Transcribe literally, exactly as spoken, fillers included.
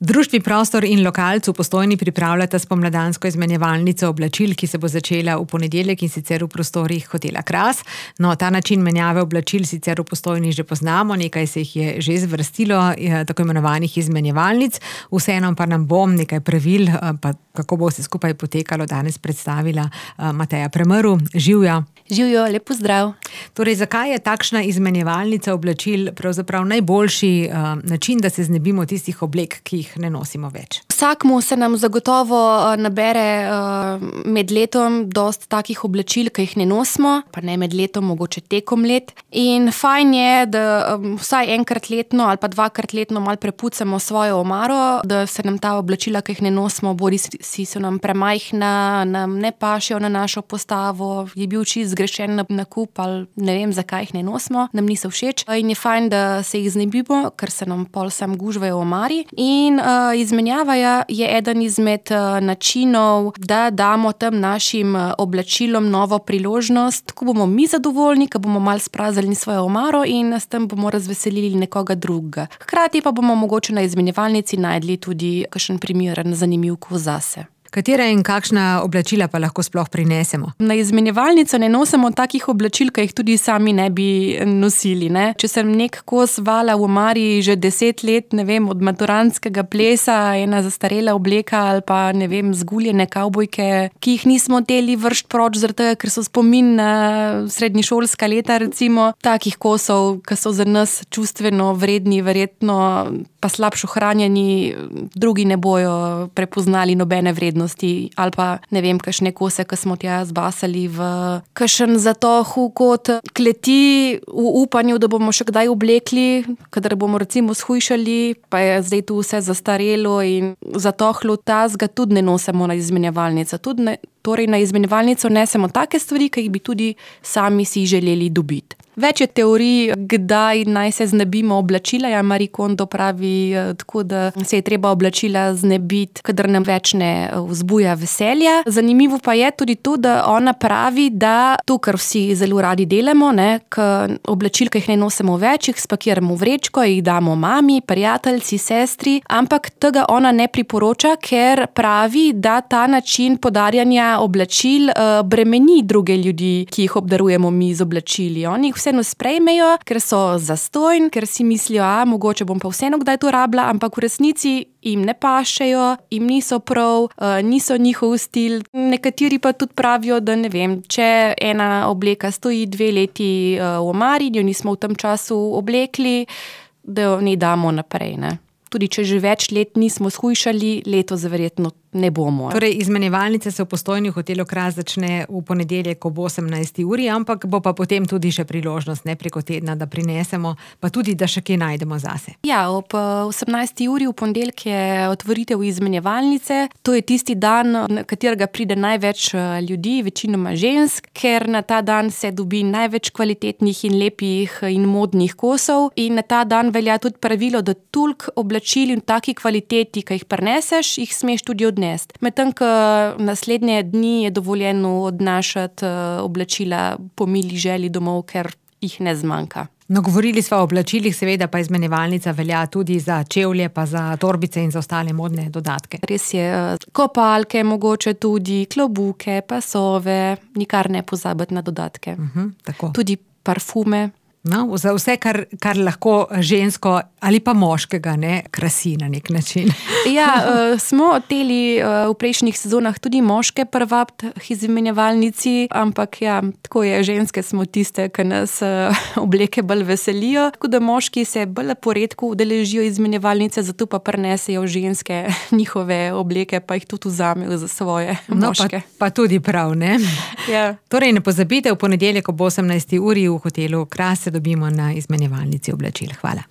Društvi Prostor in Lokalc v Postojni pripravljata spomladansko izmenjevalnico oblačil, ki se bo začela v ponedeljek, in sicer v prostorih hotela Kras. No, ta način menjave oblačil sicer v Postojni že poznamo, nekaj se jih je že zvrstilo, tako imenovanih izmenjevalnic. Vseeno pa nam bom nekaj pravil, pa kako bo vse skupaj potekalo, danes predstavila Mateja Premrl. Živjo. Živjo, lep pozdrav. Torej, zakaj je takšna izmenjevalnica oblačil pravzaprav najboljši uh, način, da se znebimo tistih oblek, ki jih ne nosimo več? Vsakmu se nam zagotovo nabere uh, med letom dosti takih oblačil, ki jih ne nosimo, pa ne med letom, mogoče tekom let. In fajn je, da um, vsaj enkrat letno ali pa dvakrat letno malo prepucamo svojo omaro, da se nam ta oblačila, ki jih ne nosimo, bodi si so nam premajhna, nam ne pašejo na našo postavo, je bil čist zgrešen nakup ali ne vem, zakaj jih ne nosimo, nam niso všeč. In je fajn, da se jih znebimo, ker se nam pol sam gužvajo v omari. In uh, izmenjava je eden izmed uh, načinov, da damo tem našim uh, oblačilom novo priložnost, ko bomo mi zadovoljni, ko bomo malo spraznili svojo omaro in s tem bomo razveselili nekoga drugega. Hkrati pa bomo mogoče na izmenjevalnici najdli tudi kakšen primeren zanimiv kos zase. Katera in kakšna oblačila pa lahko sploh prinesemo? Na izmenjevalnico ne nosimo takih oblačil, ki jih tudi sami ne bi nosili, ne. Če sem nek kos vala v omari že deset let, ne vem, od maturantskega plesa, ena zastarela obleka ali pa, ne vem, zguljene kavbojke, ki jih nismo hoteli vršt proč, zaradi tega, ker so spomin na srednješolska leta, recimo, takih kosov, ki so za nas čustveno vredni, verjetno pa slabšo hranjeni, drugi ne bojo prepoznali nobene vrednosti. Ali pa, ne vem, kakšne kose, ki smo tja zbasali v kakšen zatohu kot kleti v upanju, da bomo še kdaj oblekli, kadar bomo recimo shujšali, pa je zdaj tu vse zastarelo in zatohlo, tazga tudi ne nosimo na izmenjevalnico. Tudi ne, torej na izmenjevalnico nesemo take stvari, ki jih bi tudi sami si želeli dobiti. Več je teorij, kdaj naj se znebimo oblačila. Ja, Marie Kondo pravi tako, da se je treba oblačila znebiti, kadar nam več ne vzbuja veselja. Zanimivo pa je tudi to, da ona pravi, da to, kar vsi zelo radi delamo, ne, k oblačil, ki jih ne nosimo več, jih spakiramo v vrečko, jih damo mami, prijateljci, sestri, ampak tega ona ne priporoča, ker pravi, da ta način podarjanja oblačil uh, bremeni druge ljudi, ki jih obdarujemo mi z oblačili. Oni jih vseeno sprejmejo, ker so zastojn, ker si mislijo, a mogoče bom pa vseeno kdaj to rabila, ampak v resnici jim ne pašejo, jim niso prav, niso njihov stil. Nekateri pa tudi pravijo, da ne vem, če ena obleka stoji dve leti v omari, jo nismo v tem času oblekli, da jo ne damo naprej, ne. Tudi če že več let nismo shujšali, letos verjetno ne bomo. Torej, izmenjevalnica se v Postojni v hotelu Kras začne v ponedeljek ob osemnajsti uri, ampak bo pa potem tudi še priložnost, ne preko tedna, da prinesemo, pa tudi, da še kaj najdemo zase. Ja, ob osemnajsti uri v ponedeljek je otvoritev izmenjevalnice. To je tisti dan, na katerega pride največ ljudi, večinoma žensk, ker na ta dan se dobi največ kvalitetnih in lepih in modnih kosov in na ta dan velja tudi pravilo, da toliko oblačil in taki kvaliteti, ki jih prineseš, jih smeš tudi odnesti. Medtem, ko naslednje dni je dovoljeno odnašati oblačila po mili želji domov, ker jih ne zmanjka. No, govorili smo o oblačilih, seveda pa izmenjevalnica velja tudi za čevlje, pa za torbice in za ostale modne dodatke. Res je, kopalke, mogoče tudi, klobuke, pasove, nikar ne pozabiti na dodatke. Uh-huh, tako. Tudi parfume. No, za vse, kar, kar lahko žensko ali pa moškega, ne, krasi na nek način. Ja, uh, smo hoteli uh, v prejšnjih sezonah tudi moške privabiti k izmenjevalnici, ampak ja, tako je, ženske smo tiste, ki nas uh, obleke bolj veselijo, tako da moški se bolj poredko udeležijo izmenjevalnice, zato pa prinesejo ženske njihove obleke, pa jih tudi vzamejo za svoje moške. No, pa, pa tudi prav, ne? Ja. Torej, ne pozabite, v ponedeljek ob osemnajsti uri v hotelu Kras se dobimo na izmenjevalnici oblačil. Hvala.